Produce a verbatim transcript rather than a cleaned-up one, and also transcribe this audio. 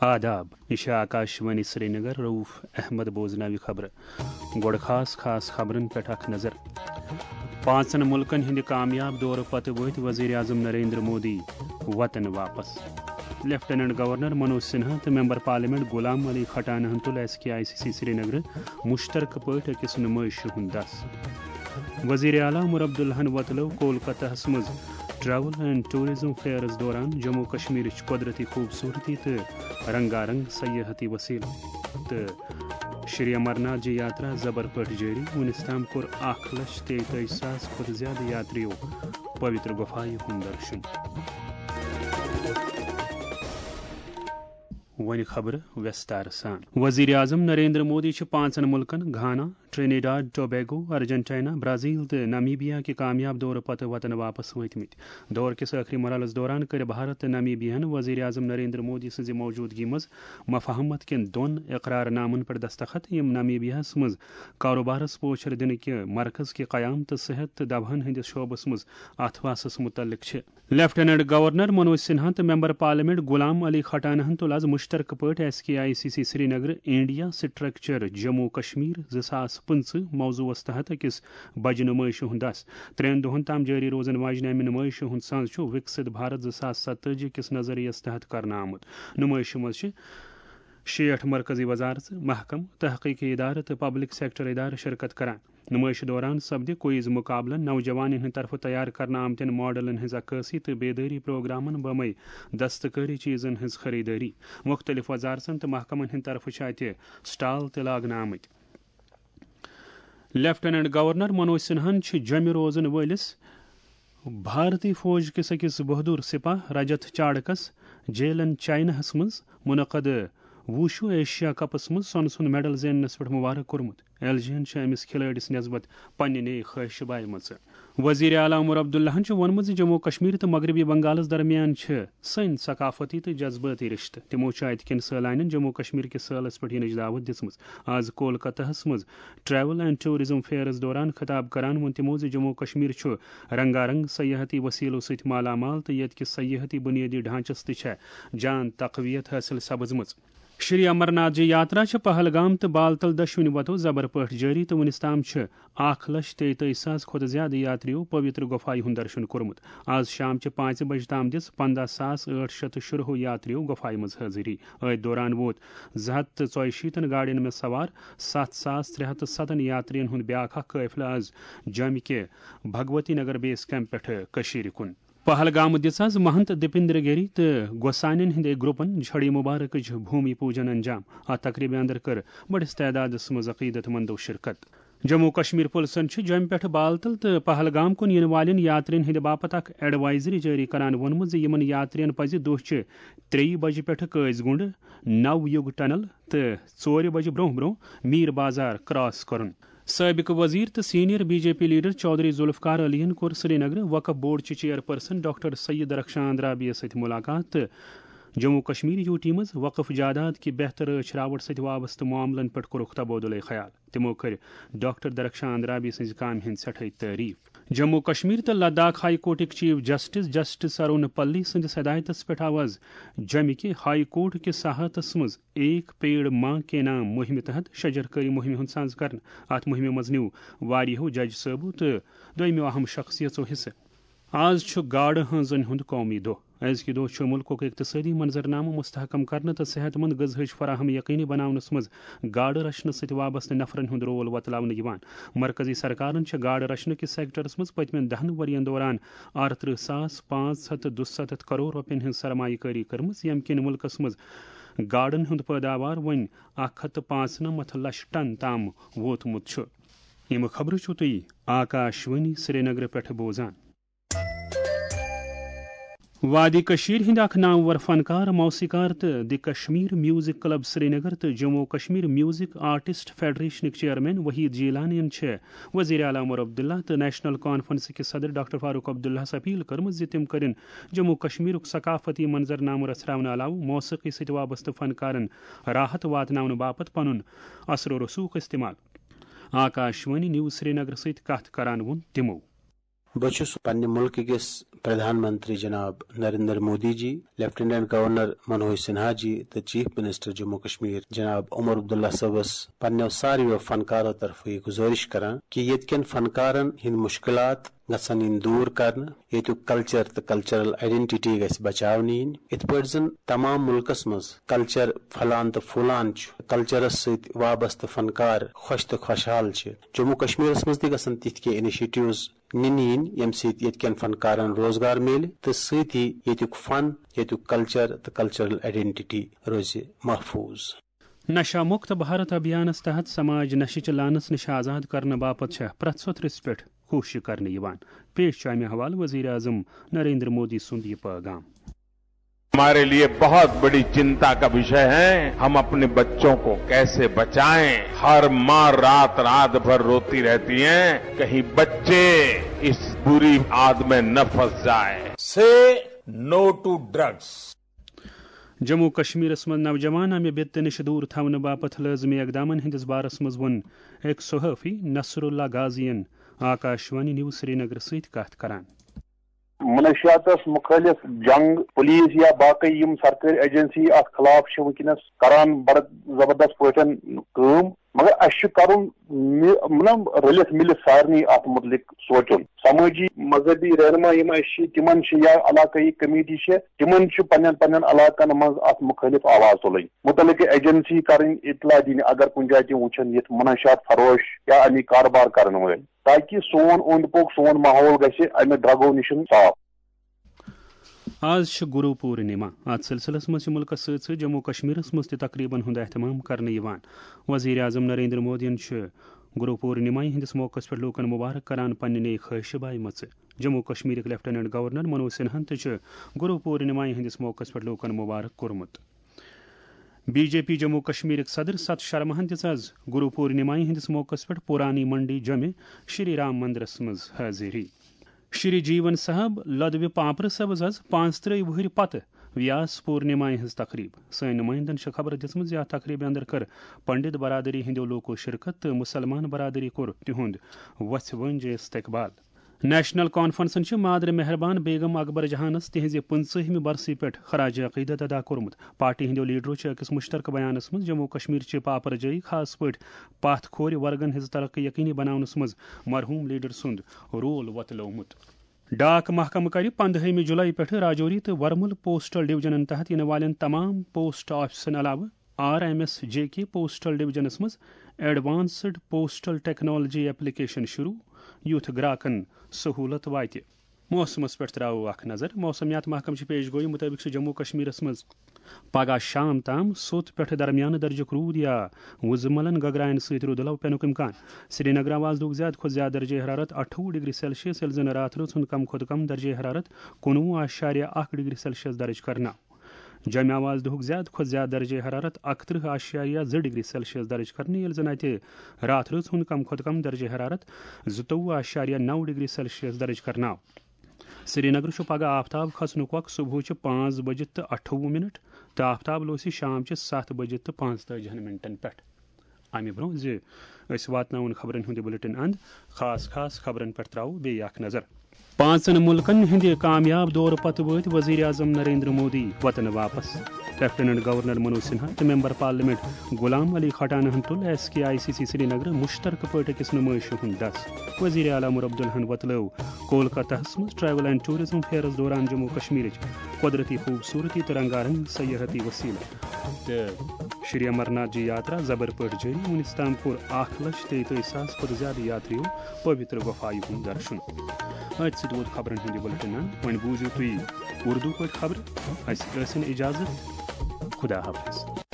آداب، یہِ چھِ آکاشوانی سرینگر، رؤف احمد بوزناوِ خبرٕ۔ گۄڈٕ خاص خاص خبرن پٮ۪ٹھ اکھ نظر۔ پانٛژن مُلکن ہٕنٛدِ کامیاب دورٕ پتہٕ وٲتۍ وزیر اعظم نریندر مودی وطن واپس۔ لیفٹیننٹ گورنر منوج سنہا تہٕ ممبر پارلیمنٹ غلام علی کھٹانہن تُل S K I C C سرینگرٕ مشترکہٕ پٲٹھۍ أکِس نُمٲیشہِ ہُنٛد دَس۔ وزیر اعلیٰ عمر عبداللہن وۄتلٲو کولکتہس منٛز ٹریول اینڈ ٹورازم فیئرس دوران جموں کشمیرٕچ قۄدرتی خوٗبصوٗرتی تہٕ رنگا رنگ سیاحتی وسیلہٕ۔ تہٕ شری امرناتھ جی یاترا زبر پٲٹھۍ جٲری، وُنیُس تام کوٚر اکھ لچھ تیٚیہِ تٲجی ساس کھۄتہٕ زیادٕ یاتریو پویتر گفایہِ ہُنٛد درشن۔ وۄنۍ خبرٕ ویستار سان۔ وزیر اعظم نریندر مودی چھِ پانٛژن مُلکن گھانا، ٹرینیڈاڈ ٹوبیگو، ارجنٹائنا، برازیل تہٕ نامیبیا کہِ کامیاب دورٕ پتہٕ وطن واپس وٲتمٕتۍ۔ دورٕ کِس ٲخری مرحلس دوران کٔرۍ بھارت تہٕ نامیبیاہن وزیر اعظم نریندر مودی سٕنٛزِ موجودگی منٛز مفاہمت کٮ۪ن دۄن اقرار نامن پٮ۪ٹھ دستخط، یِم نامیبیاہس منٛز کاروبارس پوچھر دِنہٕ کہِ مرکز کہِ قیام تہٕ صحت تہٕ دوہن ہٕنٛدِس شعبس منٛز اتھواسس متعلق چھِ۔ لیفٹیننٹ گورنر منوج سنہا تہٕ ممبر پارلیمنٹ غلام علی کھٹانہن تُل از مشترکہٕ پٲٹھۍ S K I C C Srinagar India structure Jammu Kashmir زٕ ساس پٕنٛژٕہ موضوعس تحت أکِس بجہِ نُمٲیشہِ ہُنٛد دَس۔ ترٛٮ۪ن دۄہن تام جٲری روزن واجنہِ امہِ نُمٲیشہِ ہُنٛد سنٛز چھُ وِکسِت بھارت زٕ ساس ستٲجی کِس نظریس تحت کرنہٕ آمُت۔ نُمٲیشہِ منٛز چھِ شیٹھ مرکزی وزارژٕ، محکمہٕ، تحقیقی ادارٕ تہٕ پبلک سیکٹر ادارٕ شرکت کران۔ نُمٲیشہِ دوران سپدِ کوئز مُقابلن، نوجوانن ہٕنٛدِ طرفہٕ تیار کرنہٕ آمتٮ۪ن ماڈلن ہٕنٛز عکٲسی تہٕ بیدٲری پروگرامن بمے دستکٲری چیزن ہٕنٛز خریدٲری۔ مُختٔلِف وزارژن تہٕ محکمن ہٕنٛدِ طرفہٕ چھِ اتہِ سٹال تہِ لاگنہٕ آمٕتۍ۔ لیفٹیننٹ گورنر منوج سنہن چھِ جوٚمہِ روزن وٲلِس بھارتی فوج کِس أکِس بہادر سپاہ رجت چاڑکس جیلن چائناہس منٛز منعقد ووشو ایشیا کپس منٛز سۄنہٕ سُنٛد میڈل زیننس پٮ۪ٹھ مبارک کوٚرمُت۔ ایل جی یَن چھِ أمِس کھلٲڑِس نسبت پننہِ نیک خواہشہِ بایمژٕ۔ وزیر اعلیٰ عمر عبداللہن چھُ ووٚنمُت زِ جموں کشمیر تہٕ مغربی بنگالس درمیان چھِ سٲنۍ ثقافتی تہٕ جذبٲتی رشتہٕ۔ تِمو چھُ اتہِ کٮ۪ن سٲلانٮ۪ن جموں کشمیر کِس سٲلس پٮ۪ٹھ یِنٕچ دعوت دِژمٕژ۔ از کولکتہس منٛز ٹریول اینڈ ٹورازم فیئرس دوران خطاب کران ووٚن تِمو زِ جموں کشمیر چھُ رنگا رنگ سیاحتی وسیلو سۭتۍ مالا مال تہٕ ییٚتہِ کِس سیاحتی بنیٲدی ڈھانچس تہِ چھےٚ جان تقویت حٲصِل سپٕزمٕژ۔ شری امرناتھ جی یاترا چھِ پہلگام تہٕ بالتل دۄشوٕنی وتو زبر پٲٹھۍ جٲری تہٕ وُنِس تام چھِ اکھ لچھ تیٚیہِ تٲجی ساس کھۄتہٕ زیادٕ یاتریو پویتر گفایہِ ہُنٛد درشن کوٚرمُت۔ از شام چہِ پانٛژِ بجہِ تام دِژ پنٛداہ ساس ٲٹھ شیٚتھ تہٕ شُراہ یاتریو گفایہِ منٛز حٲضری۔ أتھۍ دوران ووت زٕ ہتھ تہٕ ژۄیہِ شیٖتن گاڑٮ۪ن منٛز سوار ستھ ساس ترٛےٚ ہتھ تہٕ ستن یاترین ہُنٛد بیاکھ اکھ قٲفلہٕ از جوٚمہِ کہِ بھگوتی نگر بیس کیمپ پٮ۪ٹھٕ کٔشیٖرِ کُن۔ پہلگام دِژ از مہنت دیپندر گیری تہٕ گوسانین ہٕنٛدِ گروپن جھڑی مبارکٕچ بھومی پوجن انجام۔ اتھ تقریبہِ اندر کٔر بٔڑِس تعدادس منٛز عقیدت مندو شرکت۔ جموں کشمیر پُلسن چھُ جوٚمہِ پٮ۪ٹھٕ بالتل تہٕ پہلگام کُن یِنہٕ والٮ۪ن یاترین ہٕنٛدِ باپتھ اکھ ایڈوائزری جٲری کران ووٚنمُت زِ یِمن یاترین پزِ دۄہ چہِ ترٛیٚیہِ بجہِ پٮ۪ٹھٕ قٲضۍ گُنڈ، نو یُگ ٹنل تہٕ ژورِ بجہِ برونٛہہ برونٛہہ میر بازار کراس کرُن۔ سٲبِق وزیر تہٕ senior B J P leader Chaudhary Zulfkar علین کوٚر سرینگرٕ وقف بورڈ چہِ چیئرپرسن ڈاکٹر سید رخشان اندرابی یَس سۭتۍ مُلاقات تہٕ جموں کشمیر یوٗ ٹی منٛز وقف جاداد کہِ بہتر رٲچھ راوٹ سۭتۍ وابستہٕ معاملن پٮ۪ٹھ کوٚرُکھ تبادلے خیال۔ تِمو کٔرۍ ڈاکٹر درخشان اندرابی سٕنٛزِ کامہِ ہٕنٛز سٮ۪ٹھاے تعریف۔ جموں کشمیر تہٕ لداخ ہائی کورٹٕکۍ chief justice justice Arun Pally سٕنٛدِس ہدایتس پٮ۪ٹھ آو از جوٚمہِ کہِ ہائی کورٹ کِس احاطس منٛز ایک پیڑ ماں کے نام مُہِمہِ تحت شجرکٲری مُہِمہِ ہُنٛد سانز کرنہٕ۔ اتھ مُہِمہِ منٛز نیوٗ واریاہو جج صٲبو تہٕ دوٚیمٮ۪و اہم شخصیژو حصہٕ۔ آز چھُ گاڈٕ ہٲنزن ہُنٛد قومی دۄہ۔ أزکہِ دۄہ چھُ مُلکُک اقتصٲدی منظرنامہٕ مستحکم کرنہٕ تہٕ صحت مند غذاہٕچ فراہمی یقینی بناونس منٛز گاڈٕ رچھنہٕ سۭتۍ وابستہٕ نفرن ہُنٛد رول وۄتلاونہٕ یِوان۔ مرکزی سرکارن چھِ گاڈٕ رچھنہٕ کِس سیکٹرس منٛز پٔتمٮ۪ن دَہن ؤرین دوران اَرترٕہ ساس پانٛژھ ہتھ تہٕ دُسَتتھ کرور رۄپین ہٕنٛز سرمایہ کٲری کٔرمٕژ، ییٚمہِ کِنۍ مُلکس منٛز گاڈن ہُنٛد پٲداوار وۄنۍ اکھ ہتھ تہٕ پانٛژنمتھ لچھ ٹن تام ووتمُت چھُ۔ یِم خبرٕ چھِو تُہۍ آکاشوانی سرینگرٕ پٮ۪ٹھٕ بوزان۔ وادی کٔشیٖرِ ہٕنٛدۍ اکھ نامور فنکار، موسیقار تہٕ the Kashmir music club Srinagar تہٕ جموں و کشمیر میوزک آرٹسٹ فیڈریشنٕکۍ چیئرمین وحید جیلانین چھِ وزیر اعلیٰ عمر عبداللہ تہٕ نیشنل کانفرنسٕکۍ صدر ڈاکٹر فاروق عبداللہس اپیل کٔرمٕژ زِ تِم کٔرِن جموں و کشمیرُک ثقافتی منظرنامہٕ رژھراونہٕ علاوٕ موسیقی سۭتۍ وابستہٕ فنکارن راحت واتناونہٕ باپتھ پنُن اثر و رسوخ استعمال۔ آکاشوانی نیوز سرینگر سۭتۍ کتھ کران ووٚن تِمو۔ بہٕ چھُس پننہِ مُلکہٕ کِس پردھان منتری جناب نریندر مودی جی، لیفٹیننٹ گورنر منوج سنہا جی تہٕ چیف منسٹر جموں کشمیر جناب عمر عبداللہ صٲبس پننیو ساروِیو فنکارو طرفہٕ یہِ گُزٲرِش کران کہِ ییٚتہِ کٮ۪ن فنکارن ہٕنٛدۍ مُشکلات گژھن یِنۍ دوٗر کرنہٕ، ییٚتیُک کلچر تہٕ کلچرل آئیڈینٹیٹی گژھِ بچاونہٕ یِنۍ۔ یِتھ پٲٹھۍ زن تمام مُلکس منٛز کلچر پھۄلان تہٕ پھوٗلان چھُ، کلچرس سۭتۍ وابستہٕ فنکار خۄش تہٕ خۄشحال چھِ۔ جموں کشمیرس منٛز تہِ گژھن تِتھۍ کینٛہہ انیشیٹیوز نِنہٕ یِنۍ، ییٚمہِ سۭتۍ ییٚتہِ کٮ۪ن فنکارن روزگار میلہِ تہٕ سۭتی ییٚتیُک فن، ییٚتیُک کلچر تہٕ کلچرل آئیڈینٹیٹی روزِ محفوٗظ۔ نشہ مکت بھارت ابھیانس تحت سماج نشہٕ چہِ لعنتس نش آزاد کرنہٕ باپتھ چھےٚ پرٛٮ۪تھ سطرس پٮ۪ٹھ کوٗشش کرنہٕ یِوان۔ پیش چھُ امہِ حوالہٕ وزیر اعظم نریندر مودی سُنٛد یہِ پٲغام۔ हमारे लिए बहुत बड़ी चिंता का विषय है, हम अपने बच्चों को कैसे बचाएं। हर माँ रात रात भर रोती रहती हैं, कहीं बच्चे इस बुरी आद में न फंस जाएं। Say no to drugs. Jammu و کشمیرس منٛز نوجوان امہِ بدتہٕ نِش دوٗر تھاونہٕ باپتھ لٲزمی اقدامن ہٕنٛدِس بارس منٛز ووٚن أکۍ صحافی نصر اللہ غازین آکاشوانی نیوز سرینگر سۭتۍ کتھ کران۔ منشیاتس مخٲلف جنگ، پولیس یا باقٕے یِم سرکٲرۍ ایجنسی اتھ خلاف چھِ وٕنکیٚنس کران بڑٕ زبردست پٲٹھۍ کٲم، مگر اسہِ چھُ کرُن مطلب رٔلِتھ مِلِتھ سارنٕے اتھ مُتعلق سونٛچُن۔ سمٲجی مذہبی رہنما یِم اسہِ چھِ تِمن چھِ یا علاقٲیی کمیٹی چھِ تِمن چھُ پننٮ۪ن پننٮ۪ن علاقن منٛز اتھ مُخٲلف آواز تُلٕنۍ، مُتعلقہٕ ایجنسی کرٕنۍ اطلاع دِنۍ اگر کُنہِ جایہِ تہِ وٕچھن یِتھ منشیات فروش یا امیِکۍ کاربار کرن وٲلۍ۔ تاکہ سون اوٚند پوٚک سون ماحول گژھِ امہِ ڈرگو نِش صاف۔ آز چھِ گروٗ پوٗرنِما۔ اتھ سلسلس منٛز چھِ مُلکس سۭتۍ سۭتۍ جموں و کشمیرس منٛز تہِ تقریبن ہُنٛد اہتمام کرنہٕ یِوان۔ وزیر اعظم نریندر مودیَن چھِ گروٗ پوٗرنِما ہٕنٛدِس موقعس پٮ۪ٹھ لوٗکن مبارک کران پننہِ نیک خٲہشہِ بایمژٕ۔ جموں و کشمیرٕکۍ لیفٹیننٹ گورنر منوج سنہاہن تہِ چھُ گروٗ پوٗرنِما ہٕنٛدِس موقعس پٮ۪ٹھ لوٗکن مبارک کوٚرمُت۔ بی جے پی جموں و کشمیرٕکۍ صدر ست شرماہن دِژ آز گروٗ پوٗرنِما ہٕنٛدِس موقعس پٮ۪ٹھ پُرانی منڈی جمع شری رام مندرس منٛز حٲضری۔ شری جیون صاحب لدوِ پانپرٕ صٲبس آز پانٛژترٕٛہ وُہٕرۍ پتہٕ ویاس پوٗرنِما ہٕنٛز تقریب۔ سٲنۍ نُمٲیندن چھِ خبر دِژمٕژ زِ اتھ تقریبہِ اندر کٔر پنڈت برادری ہٕنٛدیو لوٗکو شرکت تہٕ مُسلمان برادری کوٚر تِہُنٛد وۄژھِ وٲنٛجہِ استقبال۔ نیشنل کانفرنسن چھِ مادر مہربان بیگم اکبر جہانس تِہنٛزِ پٕنٛژٕہمہِ برسی پٮ۪ٹھ خراج عقیدت ادا کوٚرمُت۔ پارٹی ہٕنٛدیو لیڈرو چھِ أکِس مُشترکہٕ بیانس منٛز جموں و کشمیر چہِ پاپرجٲیی، خاص پٲٹھۍ پتھ کھورِ ورگن ہٕنٛز ترقی یقینی بناونس منٛز مرحوم لیڈر سُنٛد رول وۄتلوومُت۔ ڈاک محکمہٕ کرِ پندہٲیمہِ جولائی پٮ۪ٹھٕ راجوری تہٕ ورمُل پوسٹل ڈویژنن تحت یِنہٕ والٮ۪ن تمام پوسٹ آفسن علاوٕ آر ایم ایس جے کے پوسٹل ڈویژنس منٛز ایڈوانسڈ پوسٹل ٹیکنالوجی ایپلیکیشن شروع، یُتھ گراکن سہولت واتہِ۔ موسمس پٮ۪ٹھ تراوو اکھ نظر۔ موسمیات محکمہٕ چہِ پیش گویی مُطٲبِق چھُ جموں و کشمیرس منٛز پگہہ شام تام سوٚت پٮ۪ٹھٕ درمیانہٕ درجُک روٗد یا وُزملن گگراین سۭتۍ رُدٕ لو پینُک امکان۔ سرینگر آو آز دۄہُک زیادٕ کھۄتہٕ زیادٕ درجہ حرارت اَٹھووُہ ڈگری سیلسیس، ییٚلہِ زن راتھ رٲژ ہُنٛد کم کھۄتہٕ کم درجہ حرارت کُنوُہ اعشاریہ اکھ ڈگری سیلسیس درج کرنہٕ آو۔ جوٚمہِ آو آز دۄہُک زیادٕ کھۄتہٕ زیادٕ درجہ حرارت اکترٕہ اعشاریہ زٕ ڈگری سیلسیس درج کرنہٕ، ییٚلہِ زن اتہِ راتھ رٲژ ہُنٛد کم کھۄتہٕ کم درجہ حرارت زٕتووُہ اعشاریہ نو ڈگری سیلسیس درج کرنہٕ آو۔ سرینگر چھُ پگہہ آفتاب کھسنُک وق صبحٕچہِ پانٛژھ بجہِ تہٕ اَٹھووُہ منٹ تہٕ آفتاب لوسہِ شامچہِ ستھ بجہِ تہٕ پانٛژتٲجِہن منٹن پٮ۪ٹھ۔ امہِ برونٛہہ زِ أسۍ واتناوون خبرن ہُنٛد یہِ بُلٹن اند، خاص خاص خبرن پٮ۪ٹھ تراوو بیٚیہِ اکھ نظر۔ پانٛژن مُلکن ہٕنٛدِ کامیاب دورٕ پتہٕ وٲتۍ وزیر اعظم نریندر مودی وطن واپس۔ لیفٹیننٹ گورنر منوج سنہا تہٕ ممبر پارلیمنٹ غلام علی کھٹانہن تُل S K I C C Srinagar مشترکہٕ پٲٹھۍ أکِس نمٲیشہِ ہُنٛد دس۔ وزیر اعلیٰ عمر عبداللہن وۄتلٲو کولکتہس منٛز ٹریول اینڈ ٹورازم فیئرس دوران جموں کشمیرٕچ قۄدرتی خوٗبصوٗرتی تہٕ رنگا رنگ سیاحتی وسیلہٕ۔ تہٕ شری امرناتھ جی یاترا زبر پٲٹھۍ جٲری۔ وُنیُس تام کوٚر اکھ لچھ تیٚتٲجی ساس کھۄتہٕ زیادٕ یاتریو پویتر گۄفایہِ ہُنٛد درشُن۔ أتھۍ سۭتۍ ووت خبرن ہُنٛد یہِ بُلٹن اند۔ وۄنۍ بوٗزِو تُہۍ اردو پٲٹھۍ خبرٕ۔ اسہِ ٲسِن اجازت۔ خدا حافظ۔